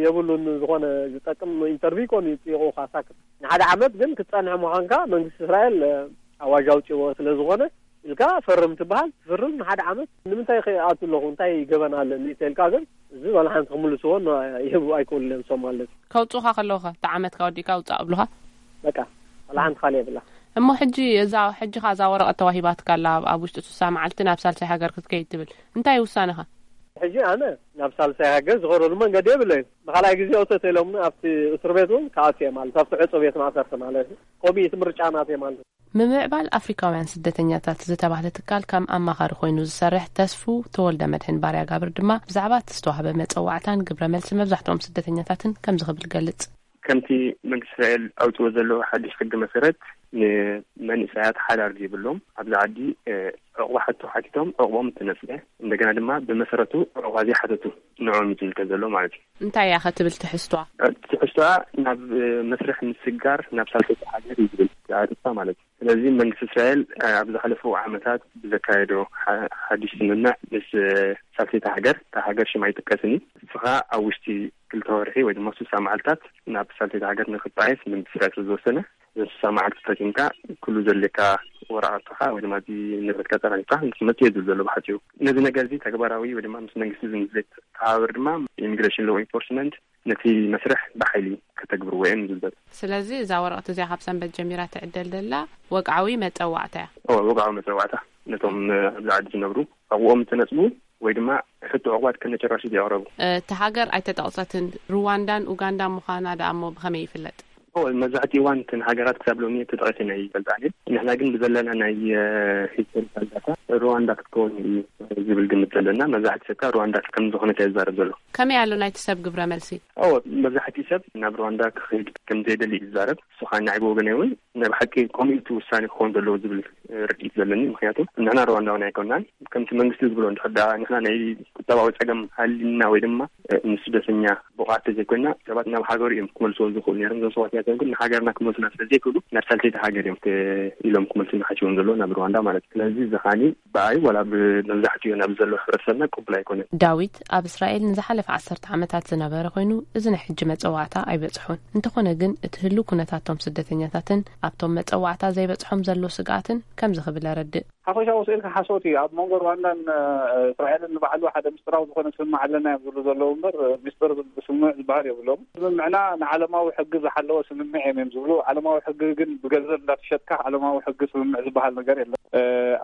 የብሉን፣ ዝኾነ ዝጠቅም ኢንተርቪው ኮን ይፅይቑኻ ሳክት። ንሓደ ዓመት ግን ክትፀንሕ ምዃንካ መንግስቲ እስራኤል ኣዋጅ ኣውፅዎ ስለ ዝኾነ ኢልካ ፈርም ትበሃል። ትፍርም ንሓደ ዓመት ንምንታይ ከይኣቱ ኣለኹ እንታይ ገበን ኣለኒ ተልካ ግን እዚ ዋላ ሓንቲ ክምልስዎ ይህቡ ኣይክእሉን እዮም ሶም ማለት እዩ። ከውፅኡኻ ከለዉ ኸ እቲ ዓመትካ ወዲእካ ውፃእ ኣብሉኻ? በቃ ዋላ ሓንቲ ካልእ የብላ። እሞ ሕጂ እዛ ሕጂ ኸ እዛ ወረቐት ተዋሂባትካ ኣላ ኣብ ውሽጢ ስሳ መዓልቲ ናብ ሳልሳይ ሃገር ክትከይድ ትብል እንታይ ውሳነኻ? ሕጂ ኣነ ናብ ሳልሳይ ሃገር ዝኸደሉ መንገዲ የብለይን። ንኻልኣይ ግዜ እቶ ተኢሎምኒ ኣብቲ እስር ቤት እውን ክኣቱ እየ ማለት ኣብቲ ዕፁ ቤት ማእሰርቲ ማለት እዩ። ኮሚት ምርጫ ናት እየ ማለት እዩ። ምምዕባል ኣፍሪካውያን ስደተኛታት ዝተባህለ ትካል ከም ኣማኻሪ ኮይኑ ዝሰርሕ ተስፉ ተወልደ መድሕን ባርያ ጋብር ድማ ብዛዕባ እቲ ዝተዋህበ መፀዋዕታን ግብረ መልሲ መብዛሕትኦም ስደተኛታትን ከምዚ ክብል ይገልፅ። ከምቲ መንግስቲ እስራኤል ኣውፅዎ ዘሎ ሓድሽ ሕጊ መሰረት ንመንእሰያት ሓዳር ዘይብሎም ኣብዚ ዓዲ ዕቑባ ሕቶ ሓቲቶም ዕቑቦም እንትነፅገ እንደገና ድማ ብመሰረቱ ዕቑባ ዘይሓተቱ ንዕኦም እዩ ዝምልከት ዘሎ ማለት እዩ። እንታይ እያ ከ ትብል ትሕዝቶኣ? ትሕዝቶኣ ናብ መስርሕ ምስግጋር ናብ ሳልሰይቲ ሃገር እዩ ዝብል ኣርእስታ ማለት እዩ። ስለዚ መንግስቲ እስራኤል ኣብ ዝሓለፉ ዓመታት ብዘካየዶ ሓድሽ ስምምዕ ምስ ሳልሰይቲ ሃገር፣ እታ ሃገር ሽማ ኣይጥቀስን እዩ፣ ንስኻ ኣብ ውሽጢ ክልተ ወርሒ ወይ ድማ ስሳ መዓልታት ናብ ሳልሰይቲ ሃገር ንክትጣየስ መንግስቲ እስራኤል ስለ ዝወሰነ እዘን ስሳ መዓልቲ ተጠቂምካ ኩሉ ዘድልየካ ወረቐትኻ ወይ ድማ እቲ ንብረትካ ኣጠራኒፍካ ንክትመጽእ እየ ዝብል ዘሎ ብሓጺሩ። ነዚ ነገር እዚ ተግባራዊ ወይ ድማ ምስ መንግስቲ ዘይተሓባበር ድማ ኢሚግሬሽን ሎው ኢንፎርስመንት ነቲ መስርሕ ብሓይሊ ከተግብርዎ እዮም ዝብል ዘሎ። ስለዚ እዛ ወረቐት እዚኣ ካብ ሰንበት ጀሚራ ትዕደል ዘላ ወግዓዊ መጸዋዕታ እያ። እወ ወግዓዊ መጸዋዕታ ነቶም ኣብዚ ዓዲ ዝነብሩ ዕቑቦም ዝተነጽጉ ወይ ድማ ሕቶ ዕቑባት ከነጨራሹ ዘየቕረቡ። እታ ሃገር ኣይተጠቕሰትን። ሩዋንዳን ኡጋንዳን ምዃና ደኣ እሞ ብኸመይ ይፍለጥ? እወ፣ መብዛሕትኡ እዋን እተን ሃገራት ክሳብ ሎሚ ተጠቒሰን ኣይፈልጣን እየን። ንሕና ግን ብዘለና ናይ ሂስቶሪካል ዳታ ሩዋንዳ ክትከውን እዩ ዝብል ግምት ዘለና። መብዛሕትኡ ሰብ ከኣ ሩዋንዳ ከም ዝኾነት እያ ዝዛረብ ዘሎ። ከመይ ኣሎ ናይቲ ሰብ ግብረ መልሲ? እወ፣ መብዛሕትኡ ሰብ ናብ ሩዋንዳ ክኸይድ ከም ዘይደሊ እዩ ዝዛረብ። ንሱ ከኣ ንዓይ ብወገነይ እውን ናይ ብሓቂ ከምኡ እዩ እቲ ውሳኔ ክኸውን ዘለዎ ዝብል ርድኢት ዘለኒ። ምኽንያቱ ንሕና ሩዋንዳውያን ኣይኮናን። ከምቲ መንግስቲ ዝብሎ እንድሕር ደኣ ንሕና ናይ ቁጠባዊ ጸገም ሃልዩና ወይ ድማ ንስደተኛ ብቕዓት ተዘይኮይና ሰባት ናብ ሃገሩ እዮም ክመልስዎ ዝኽእሉ ነይሮም። እዞም ሰባት እዚኣቶም ግን ንሃገርና ክመልሱና ስለ ዘይክእሉ ናብ ሳልሰይቲ ሃገር እዮም ኢሎም ክመልሱና ሓሲቦም ዘለዉ ናብ ሩዋንዳ ማለት እዩ። ስለዚ እዚ ከኣኒ ብኣይ ዋላ ብመብዛሕትኡ ናብ ዘሎ ሕብረተሰብና ቅቡል ኣይኮነን። ዳዊት ኣብ እስራኤል ንዝሓለፈ ዓሰርተ ዓመታት ዝነበረ ኮይኑ እዚ ናይ ሕጂ መጸዋዕታ ኣይበጽሖን። እንተኾነ ግን እቲ ህሉው ኩነታቶም ስደተኛታትን ኣብቶም መጸዋዕታ ዘይበጽሖም ዘሎ ስግኣትን ከምዚ ክብል ኣረድእ። ሓፈሻዊ ስእልካ ሓሶት እዩ። ኣብ መንጎ ሩዋንዳን እስራኤልን ንባዕሉ ሓደ ምስጢራዊ ዝኾነ ስምምዕ ኣለና እዮም ዝብሉ ዘለዉ እምበር ምስጢር ስምምዕ ዝበሃል የብሎም። ስምምዕና ንዓለማዊ ሕጊ ዝሓለወ ስምምዕ እዮም እዮም ዝብሉ። ዓለማዊ ሕጊ ግን ብገንዘብ እንዳተሸጥካ ዓለማዊ ሕጊ ስምምዕ ዝበሃል ነገር የለን።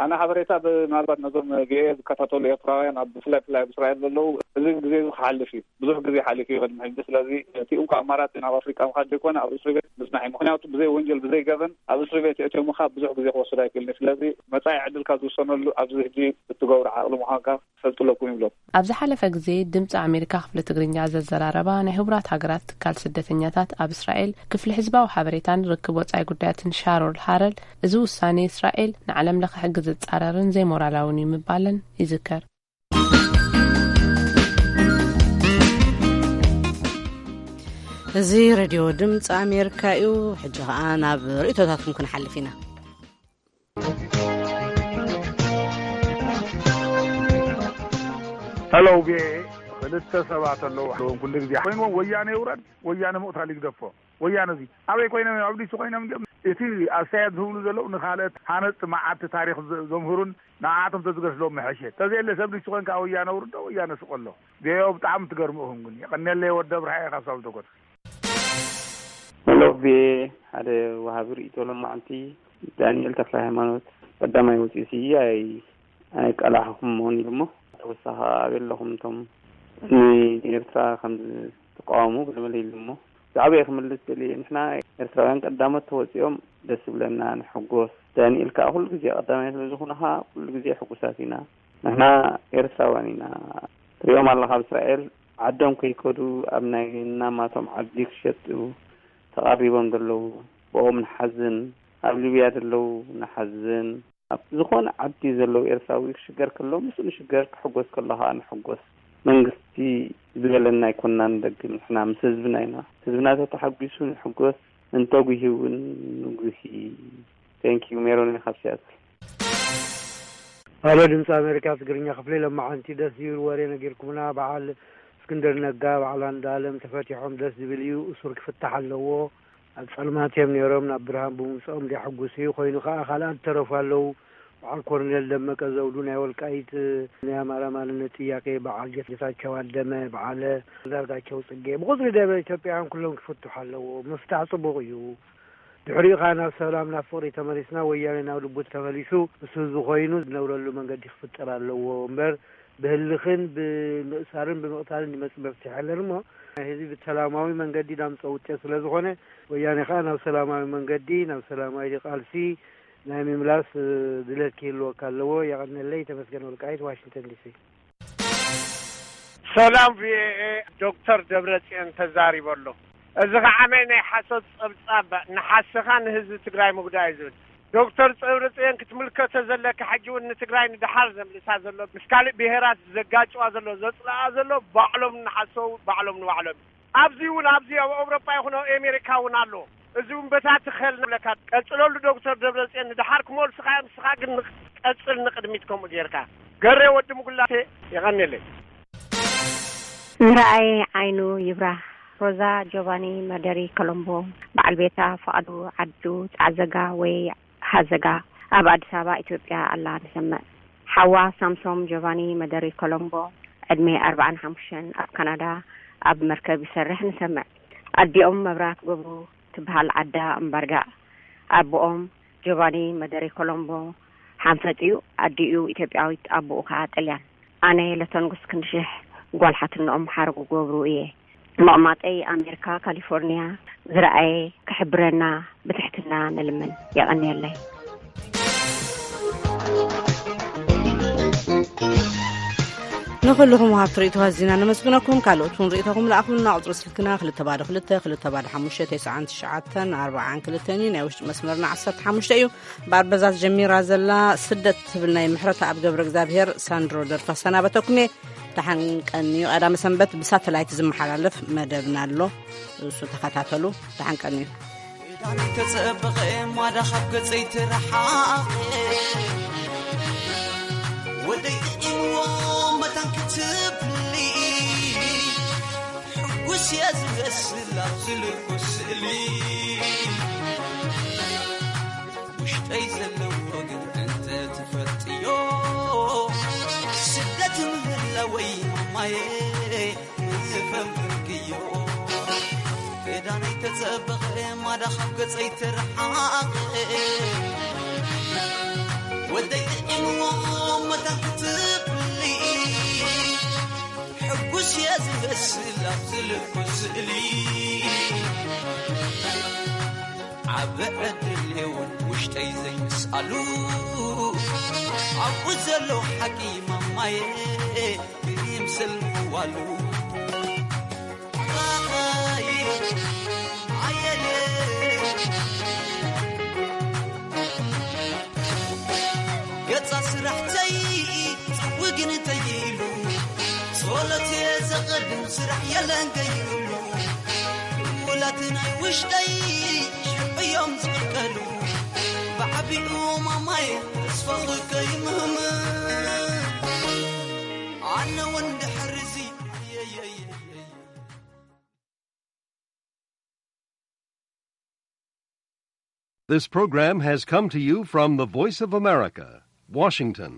ኣነ ሓበሬታ ምናልባት ነዞም ቪኦኤ ዝከታተሉ ኤርትራውያን ኣብ ብፍላይ ብፍላይ ኣብ እስራኤል ዘለዉ እዚ ግዜ እዚ ክሓልፍ እዩ። ብዙሕ ግዜ ሓሊፉ እዩ ቅድሚ ሕጂ። ስለዚ እቲ እንኮ ኣማራጺ ናብ ኣፍሪቃ ምኻድ ዘይኮነ ኣብ እስሪ ቤት ምጽናሕ እዩ። ምኽንያቱ ብዘይ ወንጀል ብዘይ ገበን ኣብ እስሪ ቤት የእትዮም ምኻድ ብዙሕ ግዜ ክወስድ ኣይክእልን እዩ። ስለዚ መጻኢ ዕድልካ ዝውሰነሉ ኣብዚ ሕጂ እትገብሮ ዓቕሊ ምዃንካ ክፈልጡ ኣለኩም ይብሎም። ኣብ ዝሓለፈ ግዜ ድምፂ ኣሜሪካ ክፍሊ ትግርኛ ዘዘራረባ ናይ ህቡራት ሃገራት ትካል ስደተኛታት ኣብ እስራኤል ክፍሊ ህዝባዊ ሓበሬታን ርክብ ወፃኢ ጉዳያትን ሻሮል ሃረል እዚ ውሳኔ እስራኤል ንዓለም ለኸ ሕጊ ዝፃረርን ዘይሞራላውን እዩ ምባለን ይዝከር። እዚ ሬድዮ ድምፂ ኣሜሪካ እዩ። ሕጂ ኸዓ ናብ ርእቶታትኩም ክንሓልፍ ኢና። ሄሎ ቪኦኤ፣ ክልተ ሰባት ኣለዉ። ኩሉ ግዜ ኮይንዎም ወያነ ይውረድ፣ ወያነ ምቕታል ይግደፎ። ወያነ እዚ ኣበይ ኮይኖም እዮም? ኣብ ዲሲ ኮይኖም ድዮም? እቲ ኣስተያየት ዝህብሉ ዘለዉ ንኻልኦት ሃነፅቲ መዓልቲ ታሪኽ ዘምህሩን ንዓኣቶም ተዝገስሎም ምሐሸ። ተዘየለ ሰብ ዲሲ ኮንካ ወያነ ውርዶ ወያነ ስቆሎ። ቪኦኤ ብጣዕሚ ትገርሙ ኢኹም ግን። የቐንየለይ ወዲ ኣብርሃ እየ ካብ ሳውዲ ኮት። ሄሎ ቪኦኤ ሓደ ወሃቢ ርእይቶ ሎማዓንቲ ዳንኤል ተክለ ሃይማኖት ቀዳማይ ወፂኡ ሲ ኣይ ኣይቀላሕኹሞን ኢሉ እሞ፣ ተወሳኺ ኣበይ ኣለኹም እቶም ንኤርትራ ከም ዝቃወሙ ብልብል ኢሉ እሞ፣ ብዛዕባኡ ክምልስ ደልየ። ንሕና ኤርትራውያን ቀዳሞት ተወፂኦም ደስ ዝብለና ንሕጎስ። ዳንኤል ከዓ ኩሉ ግዜ ቀዳማይ ስለ ዝኾንኻ ኩሉ ግዜ ሕጉሳት ኢና። ንሕና ኤርትራውያን ኢና። ትሪኦም ኣለኻ ኣብ እስራኤል ዓዶም ከይከዱ ኣብ ናይ ናማቶም ዓዲ ክሸጡ ተቓሪቦም ዘለዉ፣ ብኦም ንሓዝን። ኣብ ሊብያ ዘለዉ ንሓዝን። ኣብ ዝኾነ ዓዲ ዘለዉ ኤርትራዊ ክሽገር ከሎ ምስኡ ንሽገር፣ ክሕጎስ ከሎ ከዓ ንሕጎስ። መንግስቲ ዝበለና ኣይኮንናን ንደግም። ንሕና ምስ ህዝብና ኢና። ህዝብና ተተሓጒሱ ንሕጎስ፣ እንተጒሂ እውን ንጉሂ። Thank you ሜሮን ካብ ሲያትል። ኣሎ ድምፂ ኣሜሪካ ትግርኛ ክፍሊ ለማዓንቲ ደስ ዝብል ወሬ ነጊርኩምና። በዓል እስክንድር ነጋ በዓል ኣንዳለም ተፈቲሖም ደስ ዝብል እዩ። እሱር ክፍታሕ ኣለዎ። ኣብ ፀልማት እዮም ነይሮም ናብ ብርሃን ብምምፅኦም ዘሕጉስ እዩ። ኮይኑ ከዓ ካልኣት ተረፉ ኣለዉ። በዓል ኮርኔል ደመቀ ዘውዱ ናይ ወልቃይት ናይ ኣማራ ማንነት ጥያቄ፣ በዓል ጌታቸው ኣደመ፣ በዓለ ዳርጋቸው ፅጌ ብቁፅሪ ደበ ኢትዮጵያውያን ኩሎም ክፍትሑ ኣለዎ። ምፍታሕ ፅቡቅ እዩ። ድሕሪኡ ከዓ ናብ ሰላም ናብ ፍቅሪ ተመሊስና ወያነ ናብ ልቡ ተመሊሱ ምስ ህዝቡ ኮይኑ ዝነብረሉ መንገዲ ክፍጠር ኣለዎ እምበር ብህልኽን ብምእሳርን ብምቕታልን ዝመፅእ መፍትሒ የለን እሞ ናይ ህዝቢ ብሰላማዊ መንገዲ ዳምፀ ውፅት ስለዝኾነ ወያነ ከዓ ናብ ሰላማዊ መንገዲ ናብ ሰላማዊ ቃልሲ ናይ ምምላስ ድለት ክህልወካ ኣለዎ። የቐነለይ። ተመስገን ወልቃይት ዋሽንግተን ዲሲ። ሰላም ቪኦኤ። ዶክተር ደብረፅዮን ተዛሪበሎ። እዚ ከዓመይ ናይ ሓሶት ፀብፃብ ንሓስኻ ንህዝቢ ትግራይ ምጉዳይ እዩ ዝብል። ዶክተር ደብረፅዮን ክትምልከቶ ዘለካ ሕጂ እውን ንትግራይ ንድሓር ዘምልሳ ዘሎ ምስ ካልእ ብሄራት ዘጋጭዋ ዘሎ ዘፅልኣ ዘሎ ባዕሎም ንሓሰው ባዕሎም ንባዕሎም ኣብዚ እውን ኣብዚ ኣብ ኣውሮጳ ይኹን ኣብ ኣሜሪካ እውን ኣሎ። እዚ እውን በታ ትኸል ንብለካ ቀፅለሉ ዶክተር ደብረፅዮን ንድሓር ክመልሱኻ እዮም። ንስኻ ግን ቀፅል ንቅድሚት ከምኡ ጌርካ። ገሬ ወዲ ምጉላቴ የቐንየለይ። ዝረኣየ ዓይኑ ይብራህ። ሮዛ ጆቫኒ መደሪ ኮሎምቦ በዓል ቤታ ፍቓዱ ዓዱ ጻዕዘጋ ወይ ሃዘጋ ኣብ ኣዲስ ኣበባ ኢትዮጵያ ኣላ ንሰምዕ። ሓዋ ሳምሶም ጆቫኒ መደሪ ኮሎምቦ ዕድሜ ኣርባዓን ሓሙሽተን ኣብ ካናዳ ኣብ መርከብ ይሰርሕ ንሰምዕ። ኣዲኦም መብራት ገብሩ ትበሃል ዓዳ እምባርጋ። ኣቦኦም ጆቫኒ መደሪ ኮሎምቦ ሓንፈጥ እዩ። ኣዲኡ ኢትዮጵያዊት ኣቦኡ ከዓ ጥልያን። ኣነ ለተንጉስ ክንድሽሕ ጓል ሓትንኦም ሓረጉ ገብሩ እየ። መቕማጠይ ኣሜሪካ ካሊፎርኒያ ዝረኣየ ክሕብረና ብትሕትና ንልምን። የቐንየለይ። ንኹልኹም ሃብቲ ርእይቶ ኣዚና ነመስግነኩም። ካልኦት እውን ርእይቶኹም ለኣኹልና። ቁፅሪ ስልክና ክልተ ባዶ ክልተ ክልተ ባዶ ሓሙሽተ ተስዓን ትሽዓተን ኣርባዓን ክልተን እዩ። ናይ ውሽጢ መስመርና ዓሰርተ ሓሙሽተ እዩ። ብኣርበዛት ጀሚራ ዘላ ስደት ትብል ናይ ምሕረተኣብ ገብረ እግዚኣብሄር ሳንድሮ ደርፊ ክሰናበተኩም እየ። ደሓን ቀንዩ። ቀዳመ ሰንበት ብሳተላይት ዝመሓላለፍ መደብና ኣሎ፣ እሱ ተኸታተሉ። ደሓን ቀንዩ። ዳኒ ተጸበቐ ማዳ ካብ ገጸይ ትረሓቐ ወደይ ጥዒምዎ መታን ክትብሊ ሕጉስ እየ ዝመስል ኣብ ዝልኩ ስእሊ ውሽጠይ ዘለዎ ግን እንተ ትፈልጥዮ ስደት ምህላወይ ማማየ ምፈንፍንክዮ ክዳነይ ተጸበቐ ማዳ ካብ ገጸይ ትረሓቐ ወደይ ጥዒምዎ መታን ክትብሊ ሕጉስ እየ ዝመስል ኣብ ዝልኩ ስእሊ ዓቢ ዕድል እውን ውሽጠይ ዘይምስኣሉ ኣብኡ ዘሎ ሓቂ ማማየ ይምስል ምዋሉ ገጻ ስራሕተይ ጽውግን ተይሉ ጸሎት ዘቐድም ስራሕ የለን ከይብሉ ውላት ናይ ውሽጠይ ሽዑ እዮም ዝቕልቀሉ ብዓቢኡ ማማይ ተስፋ ከይምህም ኣነ እውን ድሕር እዚ This program has come to you from the Voice of America, Washington.